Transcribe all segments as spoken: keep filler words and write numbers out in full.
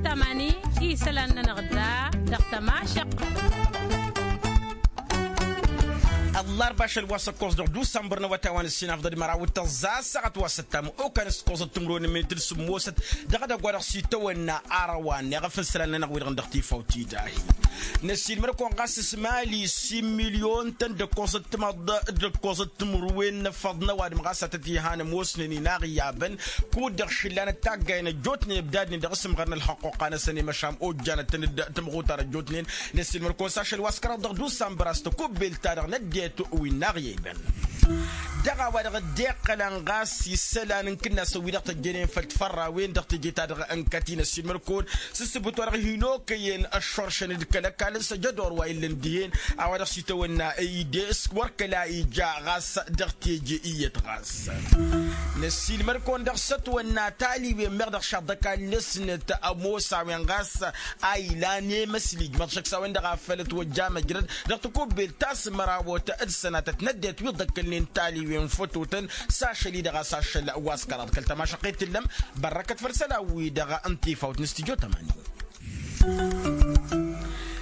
Tamani isălan-nănăɣ da dăɣ-tămašăq. Ăllarba ašăl wa s-ăkkoẓ dăɣ-dusambăr n-awătay wa n-ǝssinafḍăd măraw d-tăẓẓa ăssaɣăt wa s-ăttam okan s-ǝkkoẓăt timǝrwen n-minit d-sǝmmosăt dăɣ-edăgg wa dăɣ-s itawănna arăwa-net ɣef isălan-nănăɣ wi-dăɣ dăɣ-tifawt-i dahi. Năssiilmăr-kăwăn ɣas s-mali s-imilyon-tăn d-ǝkkoẓăt timǝrwen n-efăḍ n-ăwadǝm ɣas a tăt-ihan ămoosnen inaɣ iyyabăn kud-dăɣ šǝllanăt taggayen ăjjootnen ǝbdadnen dăɣ-asǝmɣăr n-ălxăqquqa-năsăn i-măšan ojjanăt-tăn d-timɣutar ăjjootnen. Năssiilmăr-kăwăn s-ašăl wa s-kăraḍ dăɣ-dusambăr a-s tăkubbelt-ta-dăɣ n-ăddinăt wi n-aɣyăyben. Dăɣ-a-wa-dăɣ dd-iqqălăn ɣas isălan n-kǝnnasăn wi-dăɣ tăjjănen făll-tfărrawen dăɣ-teje-ta-dăɣ n-kăti năssiilmăr-kăwăn s-ǝssǝbǝt wa dăɣ-hin-okăyăn ăššoršăn d-kăl-ăkall s-ăjădor wa illăn dihen. A-wa dăɣ-s itawănna ide s-wăr kăla ija ɣas dăɣ-teje iyyăt ɣas. Năssiilmăr-kăwăn dăɣ-sătwănna taliwen meɣ dăɣ-šaḍ d-ăkall-năsnăt ămoos a-wen ɣas a ilan i-măsli ijmăḍ šăkk s-a-wen-dăɣ a făl ătwăjja măjrăd dăɣ-takubbelt ta s-mărawăt d-sănatăt n-ăddinăt wi dd-ăkkălnen taliwen fătotăn s-ašăl-i-dăɣ a-s ašăl wa s-kăraḍ kăl-tămašăqqet tǝllăm. Bărrăkăt făll-isălan-wi-dăɣ n-tifawt n-studyo tămani.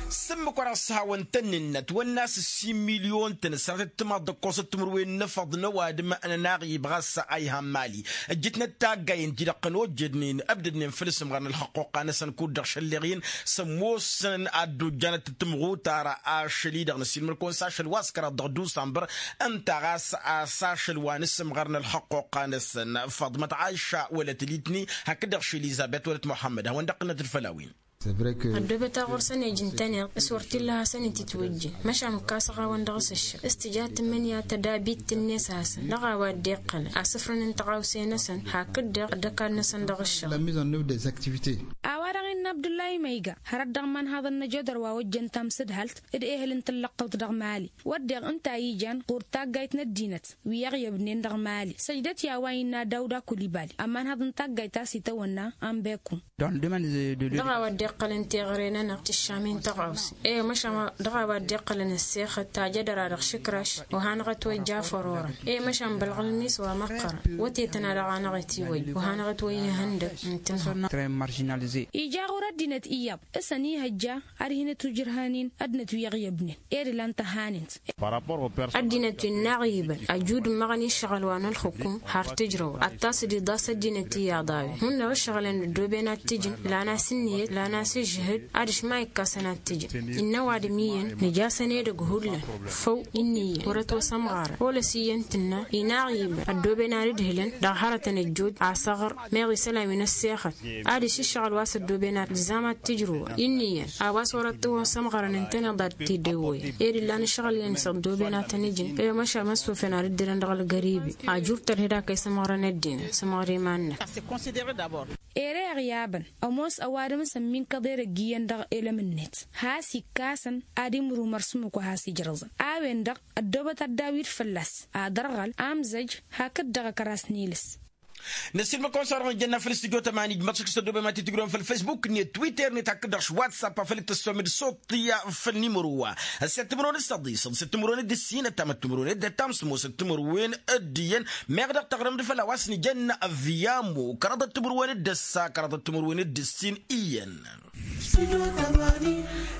S-ǝmmǝk wa dăɣ-s hawăn-tăn-nǝnnăt wănnas s-imilyon-tăn ăssanăt d-timaḍ d-ǝkkoẓăt timǝrwen n-efăḍ n-ăwadǝm n-ănaɣ ibɣa s-a ihan mali ǝjjǝtnăt taggayen-ti-dăɣ kănojjădnen ăbdădnen făll-asǝmɣăr n-ălxăqquqa-năsăn kud-dăɣ šălleɣ-in s-ămoosăn ad-dd-ojjanăt timɣutar ašăl-i-dăɣ năsiilmăr-kăwăn s-ašăl wa s-kăraḍ dăɣ-dusambăr. Ǝnta ɣas a-s ašăl wa n-asǝmɣăr n-ălxăqquqa-năsăn făḍmăt ɣayša wălăt litni hakd-dăɣ š-elizăbet wălăt muḥămmăd a hawăn-dd-ăqqǝlnăt d-făll-a-wen. Ăddoobăt aɣur-săn ejǝn-tăn-i s-wăr t-illa a hasăn-ititwǝjjǝn măšan ǝkkasăɣ-awăn dăɣ-s ǝššăɣ s-tǝja tǝmmǝnǝya tădabit-net a hasăn dăɣ-a-wa dd-iqqălăn asǝfrăn n-tăɣawse-năsăn hakd-dăɣ d-ăkall-năsăn dăɣ-ǝššăɣ. A-wa-dăɣ innă abdullah i-ma iga hărăt dăɣ-imanhaḍăn n-ajădăr wa ojjăn tamsǝdhalt d-ehǝl n-tǝllăɣtăwt dăɣ-mali wădden ǝnta a ijan ɣur-taggayt n-ăddinăt wi ăɣyăbnen dăɣ-mali săjdăt i-a-wa innă dawda kulibali ămanhăḍ n-taggayt a-s itawănna. Anbekum. Dăɣ-a-wa dd-iqqălăn teɣăre-nănăɣ tǝššamin tăɣawse e-măšan dăɣ-a-wa dd-iqqălăn ăssexăt tajădăra dăɣ-išǝkraš. Wa hanăɣ-ătwăjja fărorăn e-măšan bălɣălmis wa măqqărăn wătetăn a dăɣ-anăɣ-itiwăjja wa hanăɣ-ătwăjja ihăndăg n-tǝnhăḍ. Ija ɣur-ăddinăt iyyăḍ s-ănihăjja ad-hin-ătwǝjrăhăn-in ăddinăt wi ăɣyăbnen ed ǝlan tăhanent. Ăddinăt wi n-inaɣ ibăn ăjud ǝmmăɣăn i-ǝššăɣǝl wa n-ălxukum har tǝjrăwăn ad-tasǝd iḍas ăddinăt iyyăḍ a-wen hundăɣ ǝššăɣǝlăn ăddooben ad-t-ǝjǝn lan-as ǝnniyăt lan-as ǝžžǝhǝd ad-ǝšmayǝk-asăn ad-t-ǝjǝn. Innă ăwadǝm iyyăn nǝj'-asăn edăgg hullan făw ǝnniyăn wăr-ătwăsămɣarăn olăs iyyăn tǝnna inaɣ ibăn ăddooben ad-ǝdhǝlăn dăɣ-hărătăn ăjjood asăɣăr meɣ isălan wi n-ăssexăt ad-išǝššăɣǝl wa s-ăddooben ad-tǝzzam ad-t-ǝjrǝwăn ǝnniyăn a-wa s-wăr-ătwăsămɣarăn ǝntăneḍ ad-t-dd-ewăyăn ed ǝllan ǝššăɣǝl-en s-ăddooben ad-tăn-ǝjǝn e-măšan măssufăn ad-ǝddǝlăn dăɣ-ălgăribi ajur tărhed a kăy-sămɣărăn ăddinăt sămɣăr iman-năk. Ere ăɣyabăn ămoos ăwadǝm s-ămminkăḍ edăgg iyyăn dăɣ-elăm-net has-ikkasăn ad-imrumăr s-ǝmmǝk wa has-ijrăẓăn a-wen-dăɣ ăddoobăt ăddawit fălla-s ad-ărɣăl amzăj hakd-dăɣ ăkras n-ilǝs. Năssiilmăd-kăwăn s-a-wa-dăɣ nǝjănna făll-studyo tămani ijmăḍ šăkk s-ăddoobem ad-t-tǝjrǝwăn făll-fesbuk-net twitter-net hakd-dăɣ š-whatsapp a făl dd-tăssomăd s-oḍt iyyă făll-nimăro wa ăssiyyăt timǝrwen d-săḍisăḍ s-timǝrwen d-ǝssin ăttamăt timǝrwen d-ăttam s-ămoosăt timǝrwen d-iyyăn meɣ dăɣ-taɣrǝmd făll-a-wa s-nǝjănna ăvviyamo kăraḍăt timǝrwen d-ăssa kăraḍăt timǝrwen d-ǝssin iyyăn.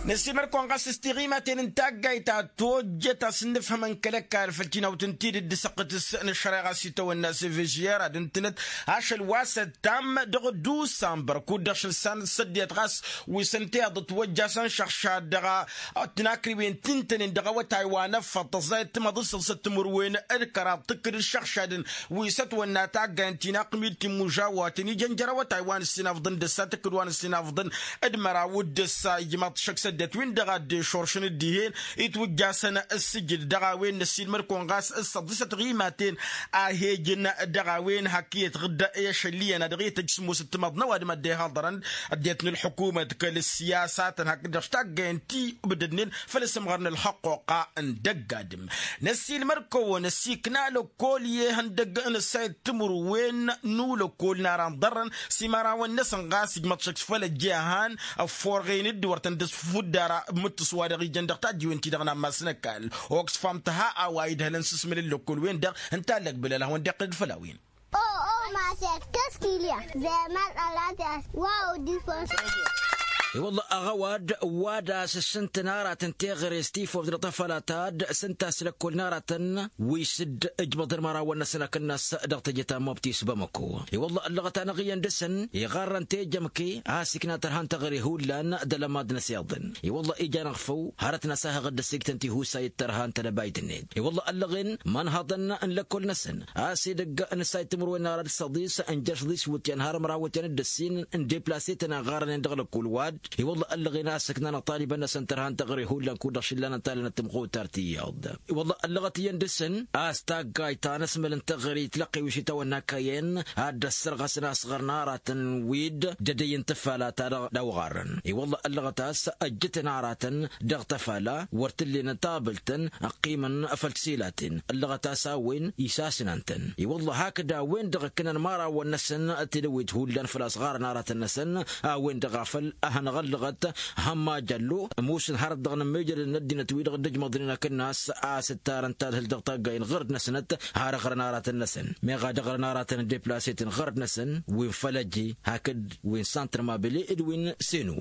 Năssiilmăd-kăwăn ɣas s-tiɣimaten n-taggayt ta tojjăt a-s ǝnnǝfhămăn kăl-ăkall făll-tinawt n-tidǝt d-asăqqǝtǝs n-ăššăreɣa s-itawănna s-evžyer ad-ǝntǝnăt ašăl wa s-ăttam dăɣ-dusambăr kud-dăɣ šăl s-ăddinăt ɣas wi s-ănta iḍǝt wăjja a-s ănšăɣšad dăɣ-tinakriwen ti ǝntănen dăɣ-awătay wa n-ăffăḍ tăẓẓayăt timăḍ s-săḍsăt timǝrwen d-kăraḍ tǝkkǝd d-išăɣšadăn wi s-ătwănna taggay n-tinaqmit timmužawaten ijăn jer-awătay wa n-ǝssinafḍăn d-ăssa tǝkkǝd wa n-ǝssinafḍăn d-măraw d-ăssa ijmaḍ-t šăkk s-ăddinăt-win-dăɣ a dd-ešoršăn d-dihen itwǝjjasăn ǝssǝjǝd dăɣ-a-wen năssiilmăd-kăwăn ɣas s-săḍisăt ɣimaten a he-ǝjǝn dăɣ-a-wen hak iyyăt ɣǝdda i-ašăl iyyăn a dăɣ-i tăjj s-ămoosăt timăḍ n-ăwadǝm a dd-ehăḍărăn ăddinăt n-ălḥukumăt kăl-ăssiyasatăn hakd-dăɣ s-taggay n-ti ǝbdădnen făll-asǝmɣăr n-ălxăqquqa n-dăgg-adǝm. Năssiilmăd-kăwăn ăsikna lăkkol i-ihăndăg n-ăssayăt timǝrwen n-ulăkkol n-ara n-iḍărrăn s-imărawăn-năsăn ɣas ijmăḍ šăkk făll-ăjjehan ăfforɣen-dd wăr tăn-dd-ăsfuddara mǝttǝs wa dăɣ-ijăn dăɣ-tajjiwen-ti-dăɣ n-ammas n-ăkall. Oxfam tǝha a-wa idhălăn s-asmǝl n-lăkkol-wen-dăɣ ǝnta a ǝllăg bǝlal a hawăn-dd-iqqǝl d-făll-a-wen. Tăskilya zeman alatias wa udifos. I-wălla aɣăwad wa d-asǝssǝntăn aratăn teɣăre s-tifoft dăɣ-tăfăla ta d-sǝnta s-lăkkol n-aratăn wi s-dd-ǝjbăḍăn imărawăn-năsăn akǝnnas dăɣ-teje ta n-mobtis bamăko. I-wălla ăllăɣăt-anăɣ iyyăn dăɣ-săn iɣarrăn tejămke a-s ikna tărha n-teɣăre hullan d-alămad-năs iyyăḍăn. I-wălla ija-năɣ făw hărăt-năs a hăɣ-dd-ăssiiktăn tihusa i-tărha n-tedăbayt-net. I-wălla ăllăɣen imanhăḍăn n-lăkkol-năsăn a-s edăgg n-ǝssay timǝrwen n-arat săḍis n-jer-săḍis wǝtyan har ămraw wǝtyan d-ǝssin n-deplasetăn a ɣarrănen dăɣ-lăkkol wa-dd. I-wălla ăllăɣen a-s ǝknanăɣ talibăn-năsăn tărha n-teɣăre hullan kud-dăɣ šǝllanăn talănăt timɣutar tiyyăḍ. I-wălla ăllăɣăt iyyăn dăɣ-săn a-s taggayt ta n-asmăl n-teɣăre itlăqqe wi s-itawănna kăyăn ad-dd-ăssărɣăsăn asɣăr n-aratăn wi-dd d-edăy n-tǝfala ta dăɣ-dăɣ-wăɣarrăn. I-wălla ăllăɣăt a-s ăjjǝtăn aratăn dăɣ-tăfala wăr t-ǝllenăn tabǝlt-tăn ăqqimăn făll-tisilaten ăllăɣăt a-s a-wen isasnăn-tăn. I-wălla hakd a-wen-dăɣ ǝkkǝnăn imărawăn-năsăn tidăwit hullan făll-asɣarăn aratăn-năsăn. A-wen-dăɣ a făl ad-hanăɣ-ăllăɣăt hămma jăllo ămoosăn hărăt dăɣ-inǝmmejălăn n-ăddinăt wi-dăɣ dd-ǝjmăḍnen akǝnnas a-s ǝttarăn tadhǝlt dăɣ-taggay n-iɣărd-năsnăt har ăɣrăn aratăn-năsăn meɣ ad-ăɣrăn aratăn n-deplasetăn iɣărd-năsăn wi n-fălăje hakd wi n-santr mabele d-wi n-senu.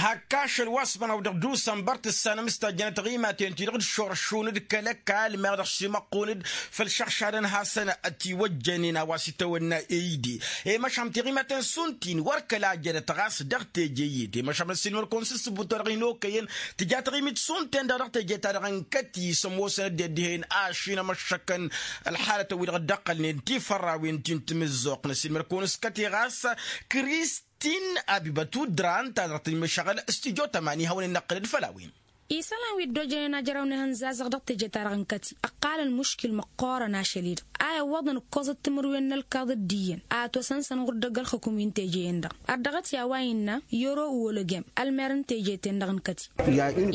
Hak ašăl wa s-măraw dăɣ-dusănbăr tǝssanăm s-tajjănăt ɣimaten-ti-dăɣ d-šoršun d-kăl-ăkall meɣ dăɣ-simăqqun-dd făll-išăɣšadăn hasăn-ătiwăjjănen a-wa s-itawănna eyde. I-măšan tiɣimaten šund-tin wăr kăla jădăt ɣas dăɣ-teje iyyăt i-măšan ăssiilmăd-kăwăn s-ǝssǝbut-wa-dăɣ hin-okăyăn tǝja taɣimit šund-ten-dăɣ dăɣ-teje-ta-dăɣ n-kăt-i s-ămoosăn ăddinăt dihen ašin ămăššăkăn ălxalătăn-wi-dăɣ dd-ăqqălnen tifărrawen ti n-timǝzzuɣt n-ăssiilmăd-kăwăn s-kăt-i ɣas. Kris tin abibăt udran ta dăɣ-tǝnmăšăɣăl s-tijo tămani hawăn-in-năqqǝlăd făll-a-wen. Isălan wi dd-ojănen ajrăw n-ehăn zazăɣ dăɣ-teje-ta-dăɣ n-kăti ǝqqalăn muškil măqqoorăn ašăl-i-dăɣ a iwwăḍăn ǝkkoẓăt timǝrwen n-ălkaḍ d-iyyăn a ătwăsăn-săn ɣur-dd ăgg-ălxǝkum i n-teje-en-dăɣ. Ărdăɣăt i-a-wa innă yoro uwolăgem ălmer n-teje-ten-dăɣ n-kăti.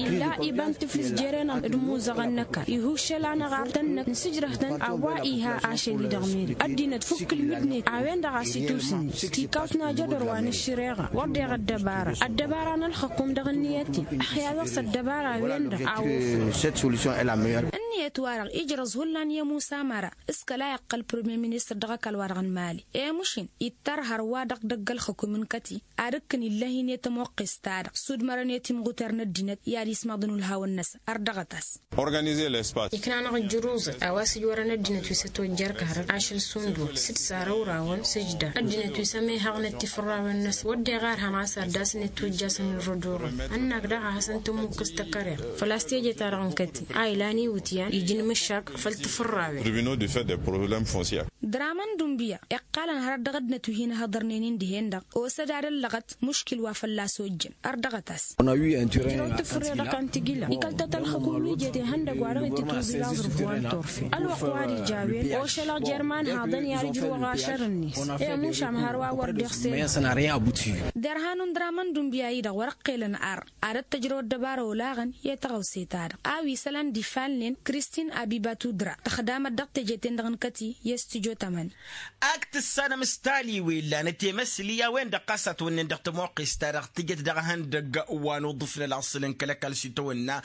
Illa iba n-tǝflǝs jere-nănăɣ d-imuzăɣăn n-ăkall ihuššăl-anăɣ artăn-năk n-sǝjrăh-tăn a-wa iha ašăl-i-dăɣ meri ăddinăt fukk ǝlmǝdnet a-wen-dăɣ a-s itusǝnni s-tikawt n-ajădor wa n-ăššăreɣa wăr deɣ ăddăbara ăddăbara n-ălxǝkum dăɣ-ǝnniyăt-in. Ăxya dăɣ-s ăddăbara a-wen-dăɣ a wăr-făl ǝnniyăt-wa-dăɣ ijrăẓ hullan i-ămusa măra s-kăla iqqăl premier ministăr dăɣ-ăkall-wa-dăɣ n-mali i-mušin ittărhăr wa dăɣ-dăgg-ălxǝkum n-kăti ad-ǝkkǝn illăh-in i-tămoqqest-ta-dăɣ s-udmărăn i-timɣuter n-ăddinăt i-ad-ismaḍăn ulhawăn-năsăn. Ărdăɣăt-as. Ikna-năɣ ǝjjǝruẓăt a-wa s-ǝjwărăn ăddinăt wi s-ătwăjjăr karăt ašăl sundul s-dd-sarăwrawăn s-ǝjdar ăddinăt wi s-ămihăɣnăt tifărrawen-năsăn wădden ɣarhăn a-s ad-dd-asnăt itwǝjjasăn n-rădurăn ănnak daɣ a hasăn-tămmukkǝs tăkăreɣt făl-a-s teje-ta-dăɣ n-kăti a ilan iwǝtyan iji n-imǝššak făll-tifărrawen. Dramăn dumbǝya iqqalăn hărăt dăɣ-ăddinăt wi hin-ăhhăḍărnen-in dihen-dăɣ osăd ad-ăllăɣăt muškil wa fălla-s ojjăn. Ărdăɣăt-as. Ijrăw tǝfrǝre dăɣ-kantǝjǝla ikăl-tăt ălxǝkum wi jet ihăndăgg wa dăɣ-itǝtwǝz ilaẓrǝf wa n-turfen ălwăqq wa d-ija a-wen ošălăɣ jer-imanhaḍăn i-ad-ǝjrǝwăɣ ašăr-net. I-ămušam hărwa wăr deɣ sed. Derhan n-dramăn dumbǝya-i-dăɣ wăr-ăqqelăn arr ad-ăttăjrăw ăddăbara olaɣăn i-tăɣawse-ta-dăɣ a-wa isălan d-ifalnen kristin abibatu dra tăxdamăt dăɣ-teje-ten-dăɣ n-kăti i-s tǝjo tămani. Ak tǝssanăm s-taliwen lanăt i-măsli a-wen-dăɣ ɣas a tawănnen dăɣ-tămoqqest-ta-dăɣ tǝjăt dăɣ-ehăndăgg wa n-uḍǝf n-ălaṣăl n-kăl-ăkall s-itawănna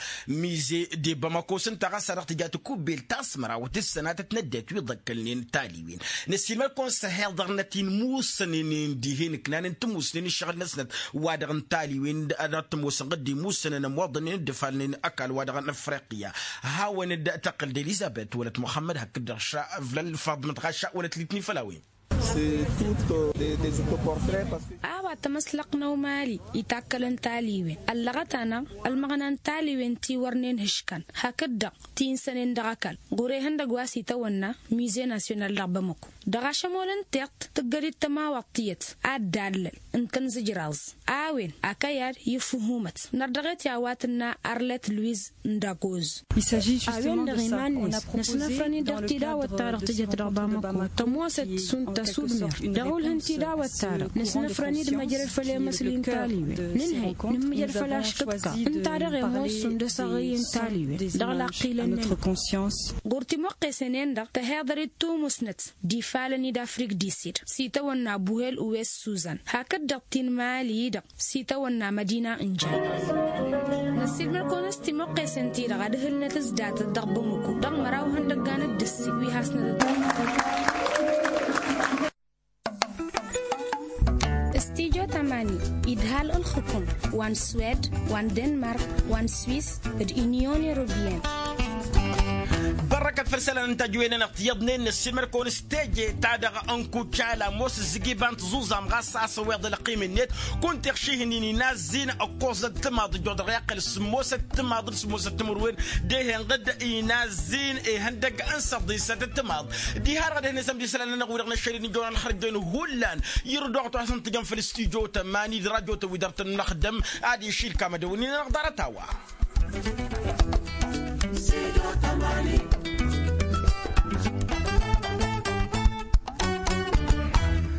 mize de bamako s-ǝnta ɣas a-dăɣ tǝja tǝkubbelt ta s-mărawăt d-sănatăt n-ăddinăt wi ǝḍăkkălnen taliwen. Năssiilmăd-kăwăn s-ăhiḍărnăt-in musănănen dihen ǝknanăn timusnen ǝššăɣǝl-năsnăt wa-dăɣ n-taliwen ad-ătmosăn ɣǝddi musănăn ămoḍănen dd-ǝfalnen ăkall wa dăɣ-n afriqya. Hawăn-dd-tăqqǝl d-elizăbet wălăt muxămmăd hakd-dăɣ ša ǝvlăl faḍmăt ɣaša wălăt litni făll-a-wen. A-wa tămăslăqnăw mali itakkălăn taliwen ăllăɣăt-anăɣ ălmăɣna n-taliwen ti wărnen hǝškan hakd-dăɣ ti n-sănen dăɣ-ăkall ɣur-ehăndăgg wa s-itawănna mize nasyonal dăɣ-bamăko. Dăɣ-ašămol n-tiṭṭ tǝggăd-dd tămawaḍt tiyyăt ad-dallăl n-tăn-zǝjraẓ a-wen akăyad i-ǝffuhumăt nărdăɣet i-a-wa tǝnna arlet luiz n-dagoz. A-wen-dăɣ iman-net năsnăfrăn-in dăɣ-tidawăt-ta-dăɣ tǝjăt dăɣ-bamăko tămoosăt šund tăsudmert dăɣ-ulh n-tidawăt-ta-dăɣ năsnăfrăn-dd măjrăd făll-emăsli n-taliwen nǝnhăy nǝmmǝjăd făll-aškǝḍka ǝnta-dăɣ i-ămoos šund ăsăɣǝy n-taliwen. Dăɣ-laqqilăn-nănăɣ ɣur-timoqqesen-en-dăɣ tăhiḍăr-dd tumusnăt d-ifalăn-i d-afrik disid s-itawănna buhel uwes suzan hakd-dăɣ ti n-mali-i-dăɣ s-itawănna mădina n-jay. Năssiilmăd-kăwăn s-timoqqesen-ti-dăɣ ad-ǝhǝlnăt s-datăt dăɣ-bamăko dăɣ-măraw ihăndăggan d-ǝssin wi hasnăt-dd. wa n-swed, wa n-denmark, wa n-swis, d-inyon erobiyen. Bărrăkăt făll-isălan n-tajǝwen-anăɣ tiyyăḍnen n-ăssiilmăd-kăwăn s-teje-ta-dăɣ n-kucala ămoos ǝzzǝg iba n-tiẓuẓam ɣas a-s ăwweḍ ălqim-net. Kunta iɣšihǝnnin inazzin ǝkkoẓăt timaḍ ǝjjoḍăɣ i-aqqăl sǝmmosăt timaḍ d-sǝmmosăt timǝrwen. Dehănɣǝd inazzin ihăndăgg n-săḍisăt timaḍ. Diha-dăɣ ad-ehăn isămd isălan-nănăɣ wi-dăɣ năššălin ǝjjoḍăn ălxărjăn hullan. Irǝd oɣăt wa s-ǝntǝjăn făll-studyo tămani d-radyo-tăn wi dăr-tăn năxdăm. Ad-išil kamădăwăn-in-anăɣ ḍarăt-a-wa.